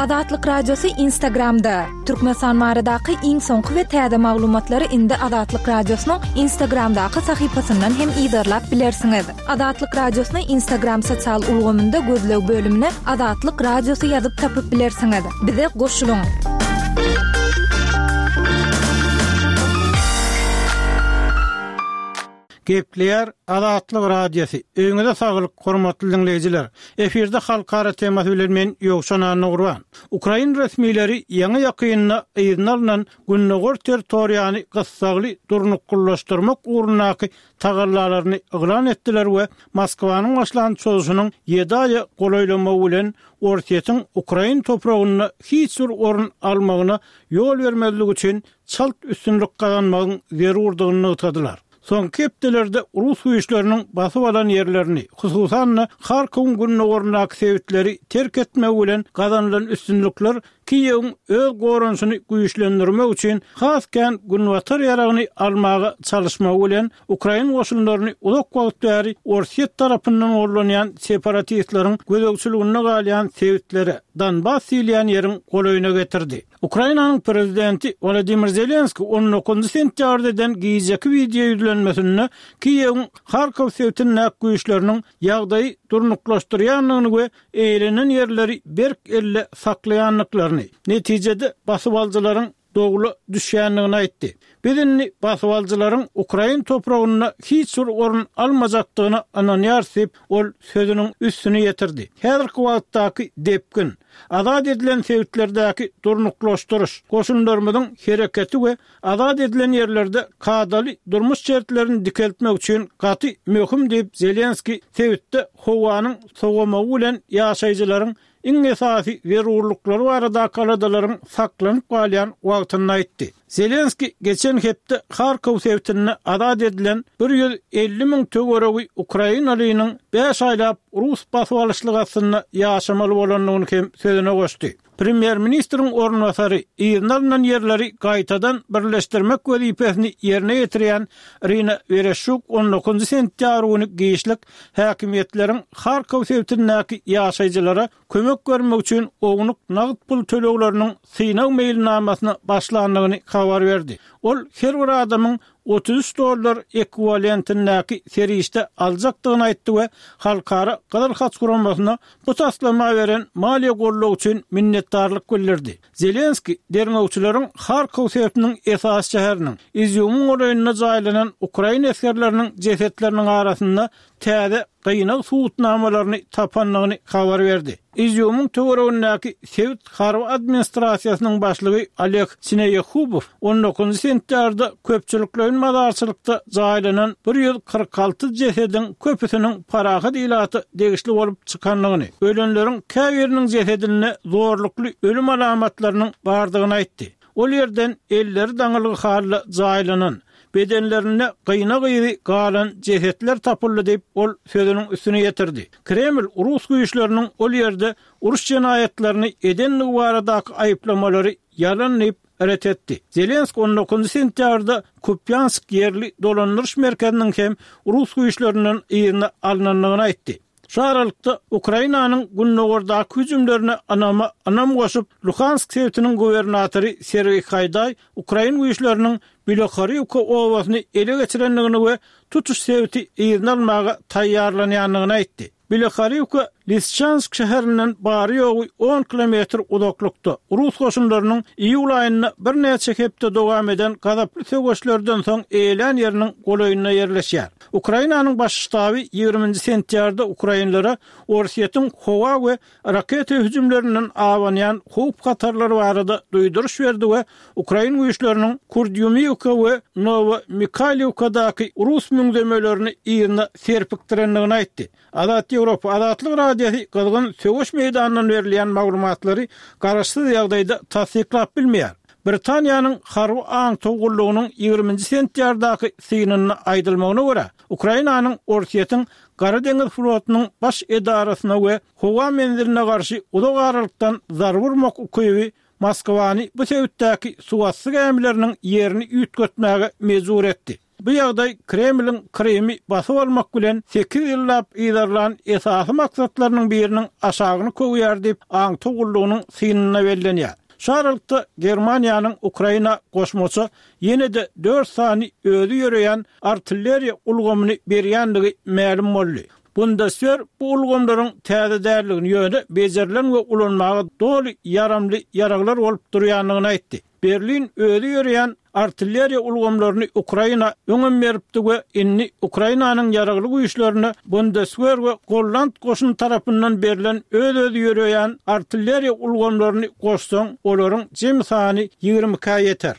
Azatlyk Radiosy Instagramda! Türkmenistan baradaky iň soňky we täze maglumatlary indi Azatlyk Radiosynyň Instagramdaky sahypasyndan hem yzarlap bilersiňiz. Azatlyk Radiosyny Instagram sosial ulgamynda gözleg bölümine Azatlyk Radiosy ýazyp tapyp bilersiňiz. Bize goşulyň! Gepleýär Azatlyk Radiosy. Öýüňize saglyk, hormatly diňleýjiler! Efirde Halkara temasy bilen men Ýowşan Annagurban. Ukrain resmileri ýaňy-ýakynda yzyna alnan gündogar territoriýany gyssagly durnuklylaşdyrmak ugrundaky tagallalaryny yglan etdiler we Moskwanyň başlan çozuşynyň ýedi aýa golaýlamagy bilen Orsýetiň ukrain topragynda hiç bir orun almagyna ýol bermezlik üçin çalt üstünlik gazanmagyň zerurdygyny nygtadylar. Soňky hepdelerde rus güýçleriniň basyp alan ýerlerini, hususan-da, Harkowyň gündogaryndaky sebitleri terk etmegi bilen gazanylan üstünlikler Kiýewiň öz goranyşyny güýçlendirmek üçin has kän günbatar ýaragyny almaga çalyşmagy bilen ukrain goşunlaryny uzak wagt bäri Orsýet tarapyndan gollanýan separatistleriň gözegçiliginde galýan sebitlere, Donbas diýilýän ýeriň golaýyna getirdi. Ukrainanyň prezidenti Wolodymyr Zelenskiý on dokuzynjy sentýabrda eden gijeki wideo ýüzlenmesinde Kiýewiň Harkow sebitindäki güýçleriniň ýagdaýy durnuklaşdyrýandygyny we eýelenen ýerleri berk elde saklaýandyklaryny, netijede basybalyjylaryň dowla düşýändigini aýtdy. Biz indi basybalyjylaryň ukrain topragynda hiç bir orun almajakdygyna ynanýarys diýip, ol sözüniň üstüni ýetirdi. Häzirki wagtdaky depgin, azat edilen sebitlerdäki durnuklaşdyryş, goşunlarymyzyň hereketi we azat edilen ýerlerde kadaly durmuş şertlerini dikeltmek üçin gaty möhüm diýip, Zelenskiý sebitde howanyň sowamagy bilen ýaşaýjylaryň iň esasy zerurlyklary baradaky aladalaryň saklanyp galýan wagtynda aýtdy. Zelenskiý geçen hepde Harkow sebitinde azat edilen 150 müň töweregi ukrainalynyň bäş aýlap rus basyp alyşlygy astynda ýaşamaly bolandygyny hem sözüne goşdy. Premýer-ministriň orunbasary, yzyna alnan ýerleri gaýtadan birleşdirmek wezipesini ýerine ýetirýän Irina Wereşçuk on dokuzynjy sentýabr güni giçlik häkimiýetleriň Harkow sebitindäki ýaşaýjylara kömek bermek üçin ownuk nagt pul tölegleriniň synag meýilnamasyna başlandygyny habar berdi. Ol her bir adamyň 33 dollar ekwiwalentindäki serişde aljakdygyny aýtdy we Halkara Gyzyl Haç Guramasyna bu taslama beren maliýe goldawy üçin minnetdarlyk bildirdi. Zelenskiý derňewçileriň Harkow sebitiniň esasy şäheriniň, Izýumyň golaýynda jaýlanan ukrain esgerleriniň jesetleriniň arasynda täze gynag subutnamalaryny tapandygyny habar berdi. Izýumyň töweregindäki sebit harby administrasiýasynyň başlygy Oleg Sineýehubow on dokuzynjy sentýabrda köpçülikleýin mazarçylykda jaýlanan 146 jesediň köpüsiniň parahat ilata degişli bolup çykandygyny, ölenleriň käbiriniň jesedinde zorlukly ölüm alamatlarynyň bardygyny aýtdy. Ol ýerden elleri daňylgy halda jaýlanan, bedenlerinde gynag yzy galan jesetler tapyldy diýip, ol sözüniň üstüni ýetirdi. Kreml rus güýçleriniň ol ýerde uruş jenaýatlaryny edendigi baradaky aýyplamalary ýalan diýip, ret etdi. Zelenskiý on dokuzynjy sentýabrda Kupýansk ýerli dolandyryş merkeziniň hem rus güýçlerinden yzyna alnandygyny aýtdy. Şu aralykda, Ukrainanyň gündogardaky hüjümlerine ynama ynam goşup, Luhansk sebitiniň gubernatory Sergeý Haýdaý ukrain güýçleriniň Bilohorýuwka obasyny ele geçirendigini we tutuş sebiti yzyna almaga taýýarlanýandygyny aýtdy. Bilohorýuwka Lisçansk şäherinden bary-ýogy on kilometr uzaklykda, rus goşunlarynyň iýul aýynda birnäçe hepde dowam eden gazaply söweşlerden soň eýelän ýeriniň golaýynda ýerleşýär. Ukrainanyň Baş ştaby ýigriminji sentýarda ukrainlere Orsýetiň howa we raketa hüjümlerinden abanýan howp-hatarlar barada duýduryş berdi we ukrain güýçleriniň Kurdýumiwka we Nowomikhaýliwkadaky rus müňzemelerini yzyna serpikdirendigini aýtdy. Azat Ýewropa, Azatlyk Radiosy gyzgyn söweş meýdanyndan berilýän maglumatlary garaşsyz ýagdaýda tassyklap bilmeýär. Britaniýanyň harby aňtaw gullugynyň ýigriminji sentýardaky synynda aýdylmagyna görä, Ukrainanyň Orsýetiň Gara deňiz flotunyň baş edarasyna we howa menziline garşy uzak aralykdan zarba urmak ukyby Moskwany bu sebitdäki suwasty gämileriniň ýerini üýtgetmäge mejbur etdi. Bu ýagdaý Kremliň Krymy basyp almak bilen sekiz ýyllap yzarlan esasy maksatlarynyň biriniň aşagyny köwýär diýip, aňtaw gullugynyň synynda bellenýär. Şu aralykda, Germaniýanyň Ukraina goşmaça ýene-de dört sany özi ýöreýän artilleriýa ulgamyny berýändigi mälim boldy. Bundeswehr bu ulgamlaryň täze däldigini, ýöne bejerilen we ulanmaga doly ýaramly ýaraglar bolup durýandygyny aýtdy. Berlin özi ýöreýän artilleriýa ulgamlaryny Ukraina öňem beripdi we indi Ukrainanyň ýaragly güýçlerine Bundeswehr we golland goşuny tarapyndan berlen öz-özi ýöreýän artilleriýa ulgamlaryny goşsaň, olaryň jemi sany ýigrimi ikä ýeter.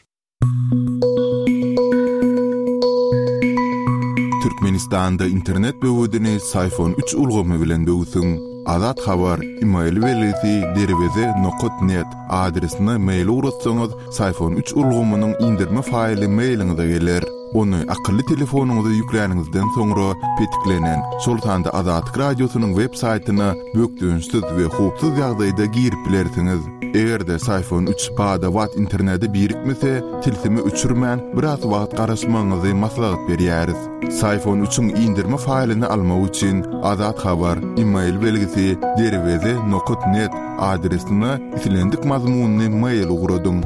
Türkmenistanda internet böwedini Syfon üç ulgamy bilen böwsüň. Azat Habar, email belgisi derweze nokat net adresine mail ugratsaňyz, Syfon üç ulgamynyň indirme faýly mailiňize geler. Ony akylly telefonyňyza ýükläniňizden soňra petiklenen, şol sanda Azatlyk Radiosynyň web saýtyna bökdençsiz we howpsuz ýagdaýda girip bilersiňiz. Eger-de Syfon üç bada-bat internete birikmese, tilsimi öçürmän, biraz wagt garaşmagyňyzy maslahat berýäris. Syfon üçiň indirme faýlyny almak üçin Azat Habar, email belgisi, derweze nokat net adresine islendik mazmunly mail ugradyň.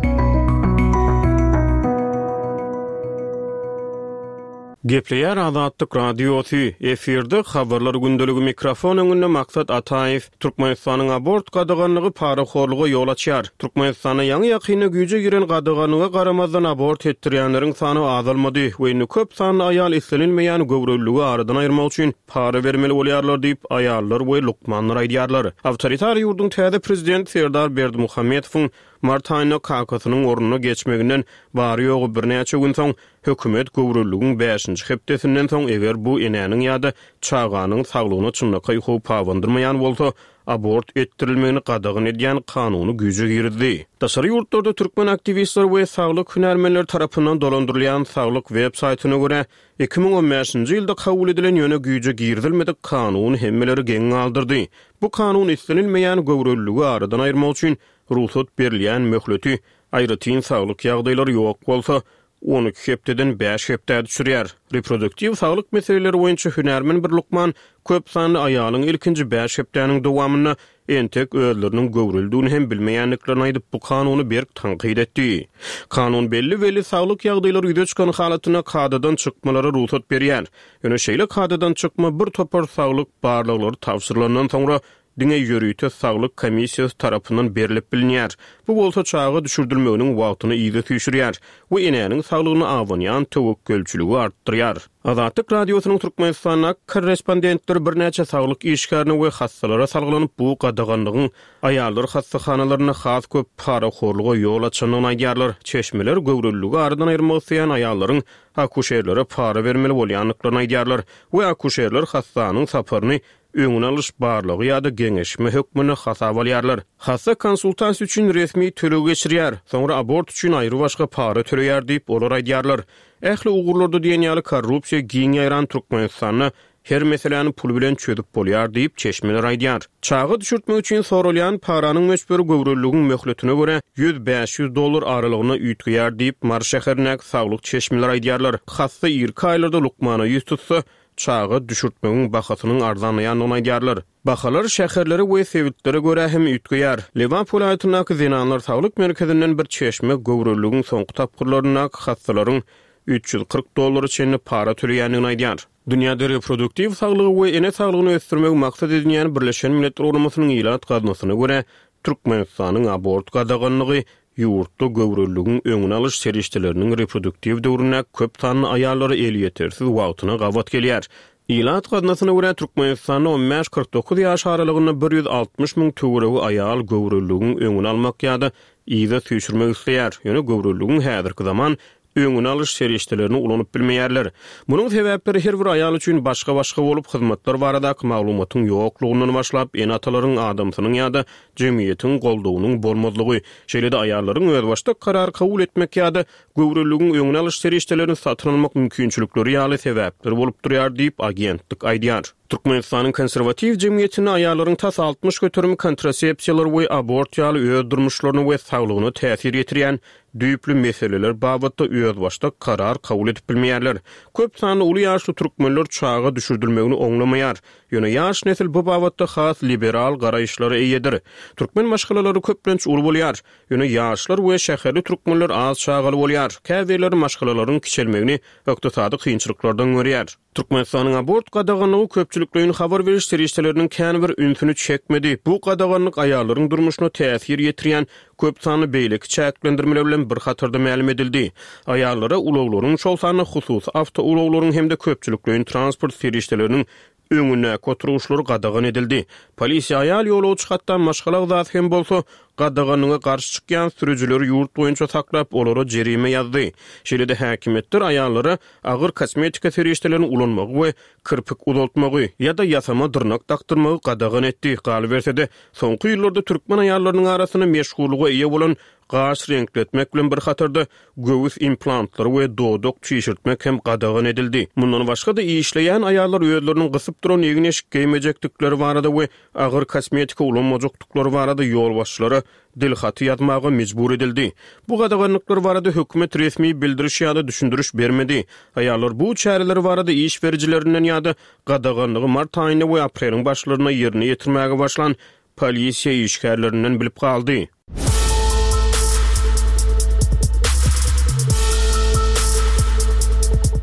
Gepleýär Azatlyk Radiosy, efirde Habarlar gündeligi mikrofon öňünde Maksat Ataýew. Türkmenistanyň abort gadaganlygy parahorluga ýol açýar. Türkmenistanda ýaňy-ýakynda güýje giren gadaganlyga garamazdan abort etdirýänleriň sany azalmady we indi köp sanly aýal islenilmeýän göwreliligi aradan aýyrmak üçin para bermeli bolýarlar diýip, aýallar we lukmanlar aýdýarlar. Awtoritar ýurduň täze prezidenti Serdar Berdimuhamedowyň mart aýynda kakasynyň ornuna geçmeginden bary-ýogy birnäçe gün soň Hökümet göwreliligiň bäşinji hepdesinden soň, eger bu enäniň ýa-da çaganyň saglygyna çynlakaý howp abandyrmaýan bolsa, abort etdirilmegini gadagan edýän kanuny güýje girizdi. Daşary ýurtlarda türkmen aktiwistleri we saglyk hünärmenleri tarapyndan dolandyrylýan saglyk web saýtyna görä, 2015-nji ýylda kabul edilen, ýöne güýje girizilmedik kanun hemmeleri geň galdyrdy. Bu kanun islenilmeýän göwreliligi aradan aýyrmak üçin rugsat berilýän möhleti, aýratyn saglyk ýagdaýlary ýok bolsa, 12 hepdeden bäş hepdä düşürýär. Reproduktiw saglyk meseleleri boýunça hünärmen bir lukman köp sanly aýalyň ilkinji bäş hepdäniň dowamynda entek özleriniň göwrelidigini hem bilmeýändiklerini aýdyp, bu kanuny berk tankyt etdi. Kanun belli-belli saglyk ýagdaýlary ýüze çykan halatynda kadadan çykmalara rugsat berýär. Ýöne şeýle kadadan çykma bir topar saglyk barlaglary tabşyrylandan soňra diňe ýörite saglyk komissiýasy tarapyndan berlip bilinýär. Bu bolsa çaga düşürdilmeginiň wagtyny yza süýşürýär we enäniň saglygyna abanýan töwekgelçiligi artdyrýar. Azatlyk Radiosynyň Türkmenistandaky korrespondentleri birnäçe saglyk işgärine we hassalara salgylanyp, bu gadaganlygyň aýallar hassahanalarynda has köp parahorluga ýol açandygyny aýdýarlar. Çeşmeler göwreliligi aradan aýyrmak isleýän aýallaryň akuşerlere para bermeli bolýandyklaryny aýdýarlar we akuşerler hassanyň saparyny öňüni alyş barlagy ýa-da geňeşme hökmünde hasaba alýarlar. Hassa konsultasiýa üçin resmi töleg geçirýär, soňra abort üçin aýrybaşga para töleýär diýip, olar aýdýarlar. Ähli ugurlarda diýen ýaly korrupsiýa giň ýaýran Türkmenistanda her meseläni pul bilen çözüp bolýar diýip, çeşmeler aýdýar. Çaga düşürtmek üçin soralýan paranyň möçberi göwreliligiň möhletine görä ýüz-bäş ýüz dollar aralygynda üýtgeýär diýip, Mary şäherindäki saglyk çeşmeleri aýdýarlar. Hassa irki aýlarda lukmana ýüz tutsa, çaga düşürtmegiň bahasynyň arzanlaýandygyny aýdýarlar. Bahalar şäherlere we sebitlere görä hem üýtgeýär. Lebap welaýatyndaky Zenanlar saglyk merkezinden bir çeşme göwreliligiň soňky tapgyrlaryndaky hassalaryň 340 dollara çenli para töleýändigini aýdýar. Dünýäde reproduktiw saglygy we ene saglygyny ösdürmegi maksat edinýän Birleşen Milletler Guramasynyň Ilat gaznasyna görä, Türkmenistanyň abort gadaganlygy ýurtda göwreliligiň öňüni alyş serişdeleriniň reproduktiw döwründäki köp sanly aýallara elýetersiz wagtyna gabat gelýär. Ilat gaznasyna görä, Türkmenistanda on bäş, 49 ýaş aralygynda 160 müň töweregi aýal göwreliligiň öňüni almak ýa-da yza süýşürmek isleýär, ýöne göwreliligiň häzirki zaman öňüni alyş serişdelerini ulanyp bilmeýärler. Munuň sebäpleri her bir aýal üçin başga-başga bolup, hyzmatlar baradaky maglumatyň ýoklugyndan başlap, ene-atalaryň, adamsynyň ýa-da jemgyýetiň goldawynyň bolmazlygy, şeýle-de aýallaryň özbaşdak karar kabul etmek ýa-da göwreliligiň öňüni alyş serişdelerini satyn almak mümkinçilikleri ýaly sebäpler bolup durýar diýip, agentlik aýdýar. Türkmenistanyň konserwatiw jemgyýetinde aýallaryň tas 60 göterimi kontrasepsiýalar we abort ýaly öz durmuşlaryna we saglygyna täsir ýetirýän düýpli meseleler babatda özbaşdak karar kabul edip bilmeýärler. Köp sanly uly ýaşly türkmenler çaga düşürdilmegini oňlamaýar. Ýöne ýaş nesil bu babatda has liberal garaýyşlara eýedir. Türkmen maşgalalary köplenç uly bolýar. Ýöne ýaşlar we şäherli türkmenler az çagaly bolýar. Käbirleri maşgalalaryň kiçelmegini ykdysady kynçylyklardan görýär. Türkmenistanyň abort gadaganlygy köpçülikleýin habar beriş serişdeleriniň kän bir ünsüni çekmedi. Bu gadaganlyk aýallaryň durmuşyna täsir ýetirýän köp sanly beýleki çäklendirmeler bilen bir hatarda mälim edildi. Aýallara ulaglaryň, şol sanda hususy awtoulaglaryň hem-de köpçülikleýin transport serişdeleriniň öňündäki oturgyçlar gadagan edildi. Polisiýa aýal ýolagçy, hatda maşgala agzasy hem bolsa, gadaganlyga garşy çykýan sürüjileri ýurt boýunça saklap, olara jerime ýazdy. Şeýle-de häkimiýetler aýallara agyr kosmetika serişdelerini ulanmagy we kirpik uzaltmagy ýa-da ýasama dyrnak dakdyrmagy gadagan etdi. Galyberse-de, soňky ýyllarda türkmen aýallarynyň arasynda meşhurlyga eýe bolan gaş reňkletmek bilen bir hatarda, göwüs implantlary we dodak çişirtmek hem gadagan edildi. Mundan başga-da, işleýän aýallar özleriniň gysyp duran egin-eşik geýmejekdikleri barada we agyr kosmetika ulanmajakdyklary barada ýolbaşçylara dilhaty ýazmaga mejbur edildi. Bu gadaganlyklar barada hökümet resmi bildiriş ýa-da düşündiriş bermedi. Aýallar bu çäreler barada iş berijilerinden ýa-da gadaganlygy mart aýynda we apreliň başlarynda ýerine ýetirmäge başlan polisiýa işgärlerinden bilip galdy.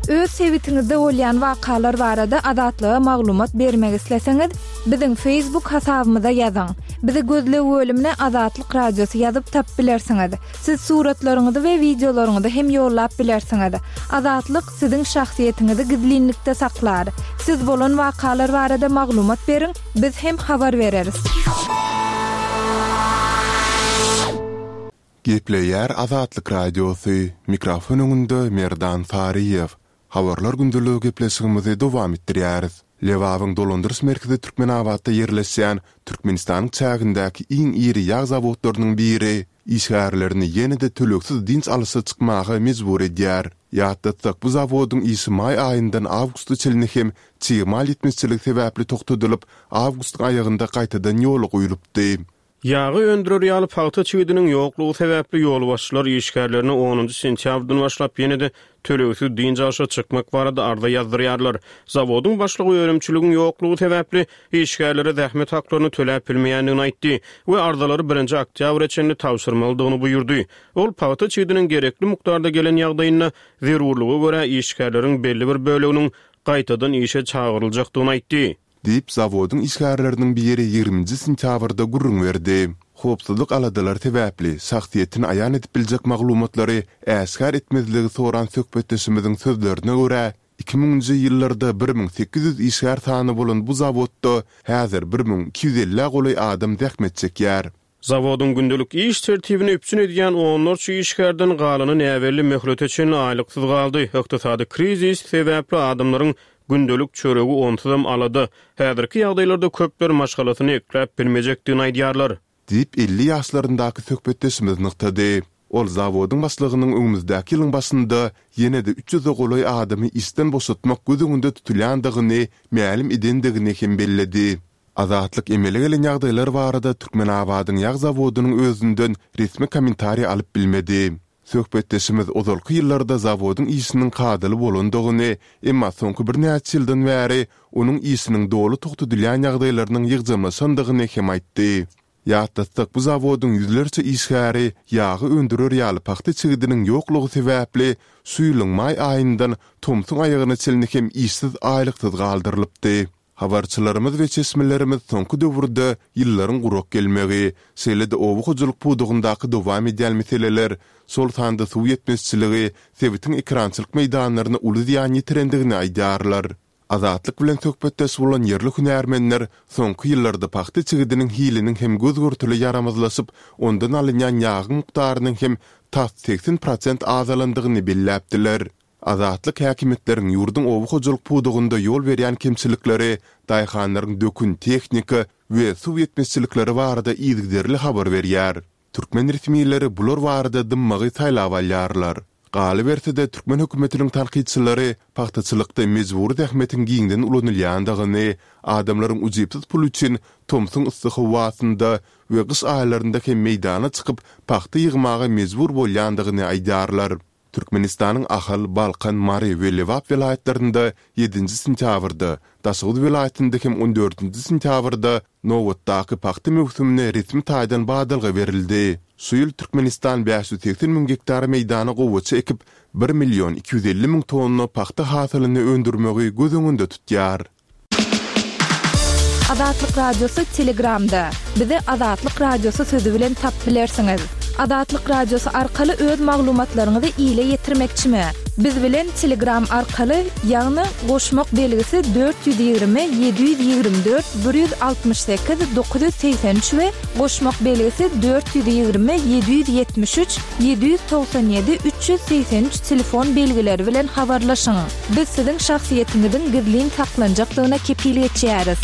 Öz sebitiňizde bolýan wakalar barada Azatlyga maglumat bermek isleseňiz, biziň Facebook hasabymyza ýazyň. Bizi gözleg bölümine Azatlyk Radiosy ýazyp tapyp bilersiňiz. Siz suratlaryňyzy we wideolaryňyzy hem ýollap bilersiňiz. Azatlyk siziň şahsyýetiňizi gizlinlikde saklar. Siz bolan wakalar barada maglumat beriň, biz hem habar bereris. Gepleýär Azatlyk Radiosy, mikrofon öňünde Merdan Saryýew. Habarlar gündeligi gepleşigimizi dowam etdirýäris. Lebabyň dolandyryş merkezi Türkmenabatda ýerleşýän Türkmenistanyň çägindäki iň iri ýag zawodlarynyň biri işgärlerini ýene-de tölegsiz dynç alyşa çykmaga mejbur edýär. Ýatlatsak, bu zawodyň işi maý aýyndan awgusta çenli hem çig mal ýetmezçiligi sebäpli togtadylyp, awgustyň aýagynda gaýtadan ýola goýlupdy. Ýagy öndürer ýaly pagta çigidiniň ýoklugy sebäpli ýolbaşçylar işgärlerine onunjy sentýabrdan başlap ýene-de tölegsiz dynç alşa çykmak barada arza ýazdyrýarlar. Zawodyň başlygy önümçiligiň ýoklugy sebäpli işgärlere zähmet haklaryny töläp bilmeýändigini aýtdy we arzalary birinji oktýabra çenli tabşyrmalydygyny buýurdy. Ol pagta çigidiniň gerekli mukdarda gelen ýagdaýynda zerurlyga görä işgärleriň belli bir böleginiň gaýtadan işe çagyryljakdygyny aýtdy. Diýip, zawodyň işgärleriniň biri ýigriminji sentýabrda gürrüň berdi. Howpsuzlyk aladalary sebäpli, şahsyýetini aýan edip biljek maglumatlary äşgär etmezligi soran söhbetdeşimiziň sözlerine görä, iki müňünji ýyllarda 1800 işgär sany bolan bu zawodda häzir 1250-ä golaý adam zähmet çekýär. Zawodyň gündelik iş tertibini üpjün edýän onlarça işgärden galany näbelli möhlete çenli aýlyksyz galdy. Ykdysady krizis sebäpli adamlaryň gündelik çöregi onsuzam alada. Häzirki ýagdaýlarda köpler maşgalasyny ekläp bilmejekdigini aýdýarlar. Diýip, 50 ýaşlaryndaky söhbetdeşimiz nygtady. Ol zawodyň başlygynyň öňümizdäki ýylyň başynda ýene-de üç ýüze golaý adamy işden boşatmak göz öňünde tutulýandygyny mälim edendigini hem belledi. Azatlyk emele gelen ýagdaýlar barada Türkmenabadyň ýag zawodynyň özünden resmi kommentariý alyp bilmedi. Söhbetdeşimiz ozalky ýyllarda zawodyň işiniň kadaly bolandygyny, emma soňky birnäçe ýyldan bäri onuň işiniň doly togtadylýan ýagdaýlarynyň ýygjamlaşandygyny hem aýtdy. Ýatlatsak, bu zawodyň ýüzlerçe işgäri ýagy öndürer ýaly pagta çigidiniň ýoklugy sebäpli şu ýylyň maý aýyndan tomsuň aýagyna çenli hem işsiz aýlyksyz galdyrylypdy. Habarçylarymyz we çeşmelerimiz soňky döwürde ýyllaryň gurak gelmegi, şeýle-de oba hojalyk pudagyndaky dowam edýän meseleler, şol sanda suw ýetmezçiligi sebitiň ekerançylyk meýdanlaryna uly zyýan ýetirendigini aýdýarlar. Azatlyk bilen söhbetdeş bolan ýerli hünärmenler soňky ýyllarda pagta çigidiniň hiliniň hem göz-görtele ýaramazlaşyp, ondan alynýan ýagyň mukdarynyň hem tas 80 prosent azalandygyny belläpdiler. Azatlyk häkimiýetleriň ýurduň oba hojalyk pudagynda ýol berýän kemçilikleri, daýhanlaryň dökün, tehnika we suw ýetmezçilikleri barada yzygiderli habar berýär. Türkmen resmileri bular barada dymmagy saýlap alýarlar. Galyberse-de, türkmen hökümetiniň tankytçylary pagtaçylykda mejbury zähmetiň giňden ulanylýandygyny, adamlaryň ujypsyz pul üçin tomsuň yssy howasynda we gyş aýlarynda hem meýdana çykyp, pagta ýygmaga mejbur bolýandygyny aýdýarlar. Türkmenistanyň Ahal, Balkan, Mary we Lebap welaýatlarynda ýedinji sentýabrda, Daşoguz welaýatynda hem on dördünji sentýabrda nobatdaky pagta möwsümine resmi taýdan badalga berildi. Şu ýyl Türkmenistan 580 müň gektar meýdana gowaça ekip, bir million 250 müň tonna pagta hasylyny öndürmegi göz öňünde tutýar. Azatlyk Radiosy Telegramda. Bizi Azatlyk Radiosy sözi bilen tapyp bilersiňiz. Azatlyk Radiosy arkaly öz maglumatlaryňyzy ile ýetirmekçimi? Biz bilen Telegram arkaly, ýagny goşmak belgisi 420 724 168 983 we goşmak belgisi 420 773 797 383 telefon belgileri bilen habarlaşyň. Biz siziň şahsyýetiňiziň gizlin saklanjakdygyna kepil geçýäris.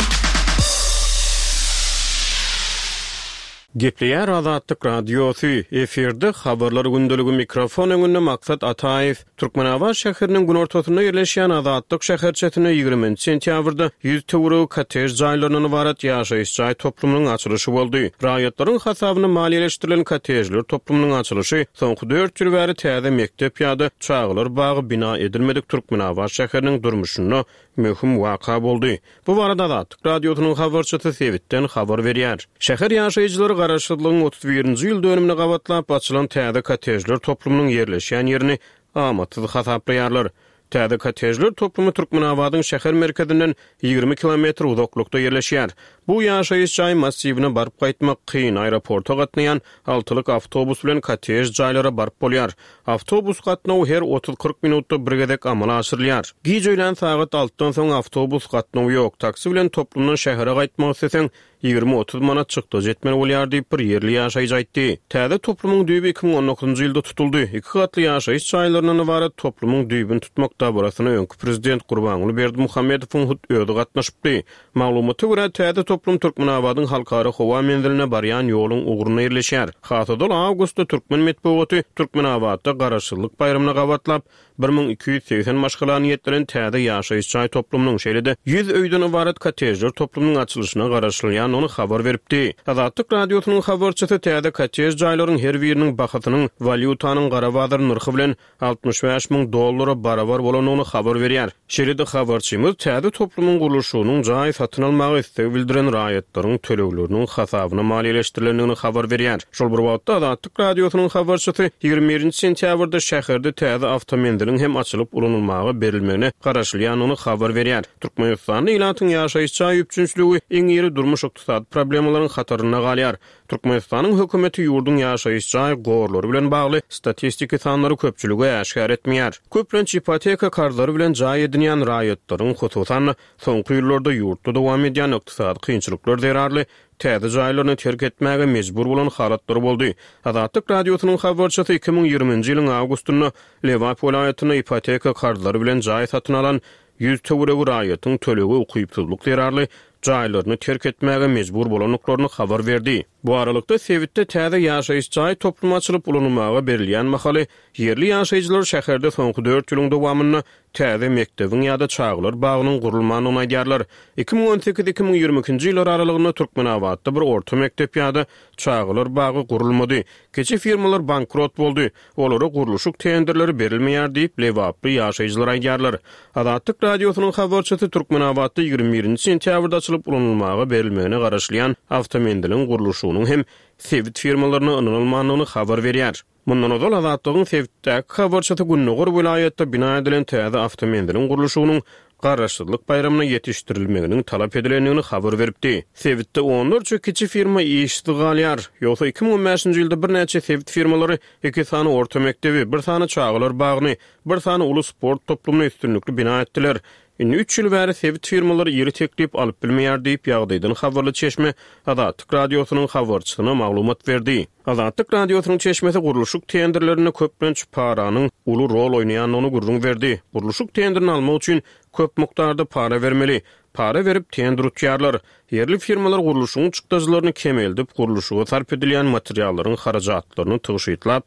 Gepleýär Azatlyk Radiosy, efirde Habarlar gündeligi mikrofon öňünde Maksat Ataýew. Türkmenabat şäheriniň günortasynda ýerleşýän Azatlyk şäherçesinde ýigriminji sentýabrda ýüz töweregi kottej jaýlaryndan ybarat ýaşaýyş jaý toplumynyň açylyşy boldy. Raýatlaryň hasabyna maliýeleşdirilen kottejler toplumynyň açylyşy soňky dört ýyl bäri täze mekdep ýa-da çagalar bagy bina edilmedik Türkmenabat şäheriniň durmuşynda möhüm waka boldy. Bu barada Azatlyk Radiosynyň habarçysy sebitden habar berýär. Şäher ýaşaýjylary Garaşsyzlygyň 31-nji ýyl dönümine gabatlap açylan täze kottejler toplumynyň ýerleşýän ýerini amatsyz hasaplaýarlar. Täze kottejler toplumy Türkmenabadyň şäher merkezinden 20 kilometr uzaklykda ýerleşýär. Bu ýaşaýyş jaý massiwine baryp gaýtmak kyn, aeroporta gatnaýan altylyk awtobus bilen kottej jaýlara baryp bolýar. Awtobus gatnawy her otuz-kyrk minutda bir gezek amala aşyrylýar. Giç öýlän sagat altydan soň awtobus gatnawy ýok. Taksi bilen toplumdan şähere gaýtmak isleseň, ýigrimi-otuz manat çykdajy etmeli bolýar diýip, bir ýerli ýaşaýjy aýtdy. Täze toplumyň düýbi 2019-njy ýylda tutuldy. Iki gatly ýaşaýyş jaýlaryndan ybarat toplumyň düýbüni tutmak dabarasyna öňki prezident Gurbanguly Berdimuhamedowyň hut özi gatnaşypdy. Maglumata görä, täze toplum Türkmenabadyň Halkara howa menziline barýan ýoluň ugrunda ýerleşýär. Has ozal awgustda türkmen metbugaty Türkmenabatda Garaşsyzlyk baýramyna gabatlap, 1280 maşgala niýetlenen täze ýaşaýyş jaý toplumynyň, şeýle-de ýüz öýden ybarat kottejler toplumynyň açylyşyna garaşylýandygyny habar beripdi. Azatlyk Radiosynyň habarçysy täze kottej jaýlaryň her biriniň bahasynyň walýutanyň gara bazar nyrhy bilen 65 müň dollara barabar bolandygyny habar berýär. Şeýle-de habarçymyz täze toplumyň gurluşygynyň jaý satyn almaga isleg bildiren raýatlaryň tölegleriniň hasabyna maliýeleşdirilendigini habar berýär. Şol bir wagtda, Azatlyk Radiosynyň habarçysy 21-nji sentýabrda şäherde täze awtomenziliň hem açylyp ulanylmaga berilmegine garaşylýandygyny habar berýär. Türkmenistanda ilatyň ýaşaýyş jaý üpjünçiligi iň iri durmuş-ykdysady problemalaryň hatarynda galýar. Türkmenistanyň hökümeti ýurduň ýaşaýyş jaý gorlary bilen bagly statistiki sanlary köpçülige äşgär etmeýär. Köplenç ipoteka karzlary bilen jaý edinýän raýatlaryň, hususan-da, soňky ýyllarda ýurtda dowam edýän ykdysady kynçylyklar zerarly täze jaýlaryny terk etmäge mejbur bolan halatlary boldy. Azatlyk Radiosynyň habarçysy 2020-nji ýylyň awgustynda Lebap welaýatynda ipoteka karzlary bilen jaý satyn alan ýüz töweregi raýatyň tölege ukypsyzlyk zerarly jaýlaryny terk etmäge mejbur bolandyklaryny habar berdi. Bu aralykda, sebitde täze ýaşaýyş jaý toplumy açylyp ulanylmaga berilýän mahaly, ýerli ýaşaýjylar şäherde soňky dört ýylyň dowamynda täze mekdebiň ýa-da çagalar bagynyň gurulmandygyny aýdýarlar. 2018, 2022-nji ýyllar aralygynda Türkmenabatda bir orta mekdep ýa-da çagalar bagy gurulmady. Kiçi firmalar bankrot boldy. Olara gurluşyk tenderleri berilmeýär diýip, lebaply ýaşaýjylar aýdýarlar. Azatlyk Radiosynyň habarçysy Türkmenabatda 21-nji sentýabrda açylyp ulanylmaga berilmegine garaşylýan awtomenziliň gurluşygynyň hem sebit firmalaryna ynanylmandygyny habar berýär. Mundan ozal Azatlygyň sebitdäki habarçysy gündogar welaýatda bina edilen täze awtomenziliň gurluşygynyň Garaşsyzlyk baýramyna ýetişdirilmeginiň talap edilendigini habar beripdi. Sebitde onlarça kiçi firma işsiz galýar. Ýogsa 2015-nji ýylda birnäçe sebit firmalary iki sany orta mekdebi, bir sany çagalar bagyny, bir sany uly sport toplumyny üstünlikli bina etdiler. Indi üç ýyl bäri sebit firmalary iri teklip alyp bilmeýär diýip, ýagdaýdan habarly çeşme Azatlyk Radiosynyň habarçysyna maglumat berdi. Azatlyk Radiosynyň çeşmesi gurluşyk tenderlerinde köplenç paranyň uly rol oýnaýandygyny gürrüň berdi. Gurluşyk tenderini almak üçin köp mukdarda para bermeli. Para berip, tender utýarlar. Ýerli firmalar gurluşygyň çykdajylaryny kemeldip, gurluşyga sarp edilýän materiallaryň harajatlaryny tygşytlap,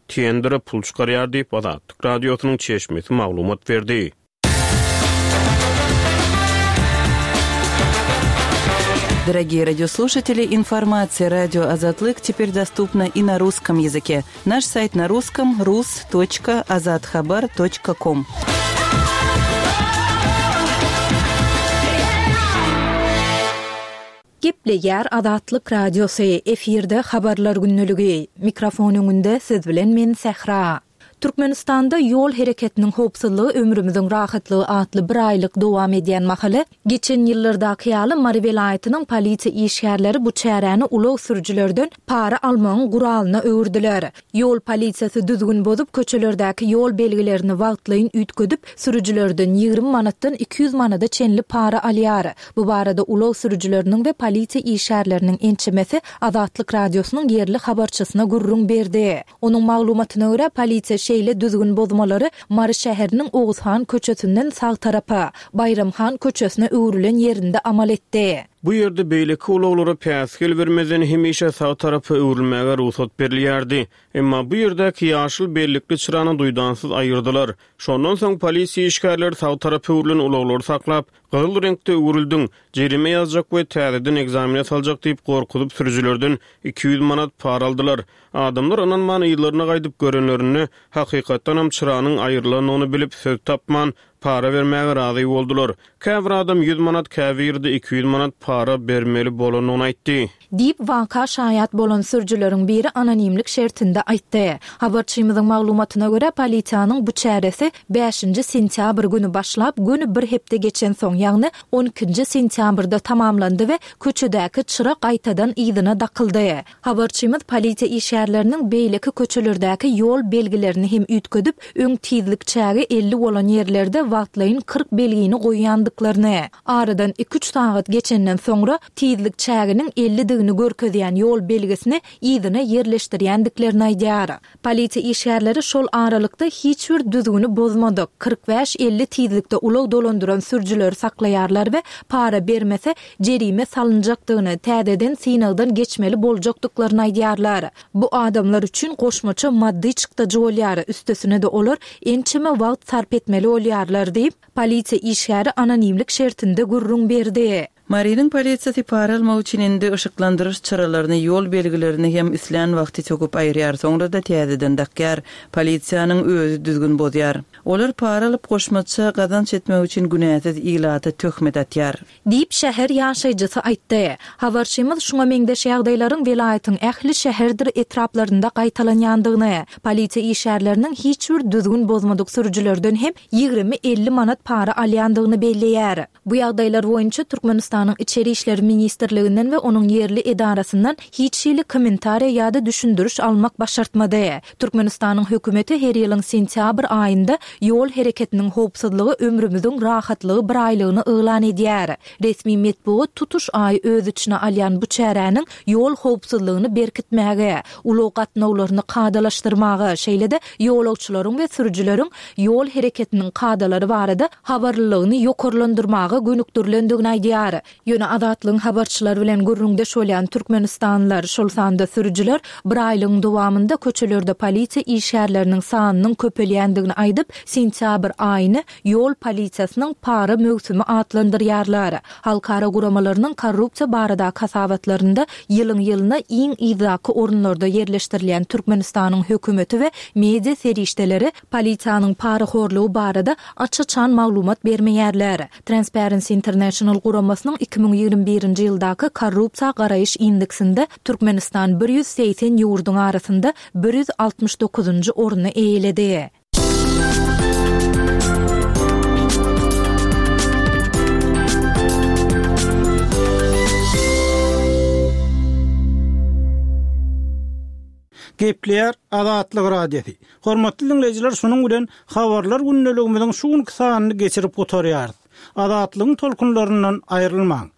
Tendere pul çykarýar diýip, Azatlyk Radiosynyň çeşmesi maglumat berdi. Дорогие радиослушатели, информация радио Азатлык теперь доступна и на русском языке. Наш сайт на русском rus.azathabar.com. Gepleýär Azatlyk Radiosy, efirde Habarlar gündeligi. Mikrofon öňünde siz bilen men Sähra. Türkmenistanda Ýol hereketiniň howpsuzlygy ömrümiziň rahatlygy atly bir aýlyk dowam edýän mahaly, geçen ýyllardaky ýaly Mary welaýatynyň polisiýa işgärleri bu çäräni ulag sürüjilerden para almagyň guralyna öwürdiler. Ýol polisiýasy düzgün bozup, köçelerdäki ýol belgilerini wagtlaýyn üýtgedip, sürüjilerden 20 manatdan 200 manada çenli para alýar. Bu barada ulag sürüjileriniň we polisiýa işgärleriniň ençemesi Azatlyk Radiosynyň ýerli habarçysyna gürrüň berdi. Onuň maglumatyna görä, polisiýa şeýle düzgün bozmalary Mary şäheriniň Oguzhan köçesinden sag tarapa, Baýram han köçesine öwrülen ýerinde amal etdi. Bu ýerde beýleki ulaglara päsgel bermezden hemişe sag tarapa öwrülmäge rugsat berilýärdi. Emma bu ýerdäki ýaşyl bellikli çyrany duýdansyz aýyrdylar. Şondan soň polisiýa işgärleri sag tarapa öwrülen ulaglary saklap, Gyzyl reňkde öwrüldiň, jerime ýazjak we täzeden ekzamene saljak diýip gorkuzyp sürüjilerden 200 manat para aldylar. Adamlar ynanman yzlaryna gaýdyp görenlerinde, hakykatdanam çyranyň aýrylandygyny bilip söz tapman, para bermäge razy boldular. Käbir adam ýüz manat, käbiri-de 200 manat para bermeli bolandygyny aýtdy. Diýip, waka şaýat bolan sürüjileriň biri anonimlik şertinde aýtdy. Habarçymyzyň maglumatyna görä, polisiýanyň bu çäresi bäşinji sentýabr güni başlap, göni bir hepde geçensoň, ýagny on ikinji sentýabrda tamamlandy we köçedäki çyra gaýtadan yzyna dakyldy. Habarçymyz polisiýa işgärleriniň beýleki köçelerdäki ýol belgilerini hem üýtgedip, öň tizlik çägi 50 bolan ýerlerde wagtlaýyn 40 belgini goýýandyklaryny, aradan iki-üç sagat geçenden soňra tizlik çäginiň ellidigini görkezýän ýol belgisini yzyna ýerleşdirýändiklerini aýdýar. Polisiýa işgärleri şol aralykda hiç bir düzgüni bozmadyk, 45-50 tizlikde ulag dolandyran sürüjileri saklaýarlar we para bermese, jerime salynjakdygyny, täzeden synagdan geçmeli boljakdyklaryny aýdýarlar. Bu adamlar üçin goşmaça maddy çykdajy bolýar, üstesine-de olar ençeme wagt sarp etmeli bolýarlar diýip, polisiýa işgäri anonimlik şertinde gürrüň berdi. Marynyň polisiýasy para almak üçin indi yşyklandyryş çyralaryny, ýol belgilerini hem islän wagty söküp aýyrýar, soňra-da täzeden dakýar. Polisiýanyň özi düzgün bozýar. Olar para alyp, goşmaça gazanç etmek üçin günäsiz ilata töhmet atýar. Diýip, şäher ýaşaýjysy aýtdy. Habarçymyz şuňa meňzeş ýagdaýlaryň welaýatyň ähli şäherdir etraplarynda gaýtalanýandygyny, polisiýa işgärleriniň hiç bir düzgün bozmadyk sürüjilerden hem 20-50 manat para alýandygyny belleýär. Bu ýagdaýlar boýunça Türkmenistanyň Içeri işler ministrliginden we onuň ýerli edarasyndan hiç hili kommentariýa ýa-da düşündiriş almak başartmady. Türkmenistanyň hökümeti her ýylyň sentýabr aýynda Ýol hereketiniň howpsuzlygy ömrümiziň rahatlygy biraýlygyny yglan edýär. Resmi metbugat tutuş aýy öz içine alýan bu çäräniň ýol howpsuzlygyny berkitmäge, ulag gatnawlaryny kadalaşdyrmaga, şeýle-de ýolagçylaryň we sürüjileriň ýol hereketiniň kadalary barada habarlylygyny ýokarlandyrmaga gönükdirilendigini aýdýar. Ýöne Azatlygyň habarçylary bilen gürrüňdeş bolýan türkmenistanlylar, şol sanda sürüjiler bir aýlygyň dowamynda köçelerde polisiýa işgärleriniň sanynyň köpelýändigini aýdyp, sentýabr aýyny ýol polisiýasynyň para möwsümi atlandyrýarlar. Halkara guramalarynyň korrupsiýa baradaky hasabatlarynda ýylyň-ýylyna iň yzdaky orunlarda ýerleşdirilýän Türkmenistanyň hökümeti we media serişdeleri polisiýanyň parahorlugy barada aç-açan maglumat bermeýärler. Transparency International guramasynyň 2021-nji ýyldaky korrupsiýa garaýyş indeksinde Türkmenistan 180 ýurduň arasynda 169-njy orny eýeledi. Gepleýär Azatlyk Radiosy. Hormatly diňleýjiler şunuň bilen Habarlar gündeligimiziň şu günki sanyny geçirip gutarýarys. Azatlygyň tolkunlaryndan aýrylmaň.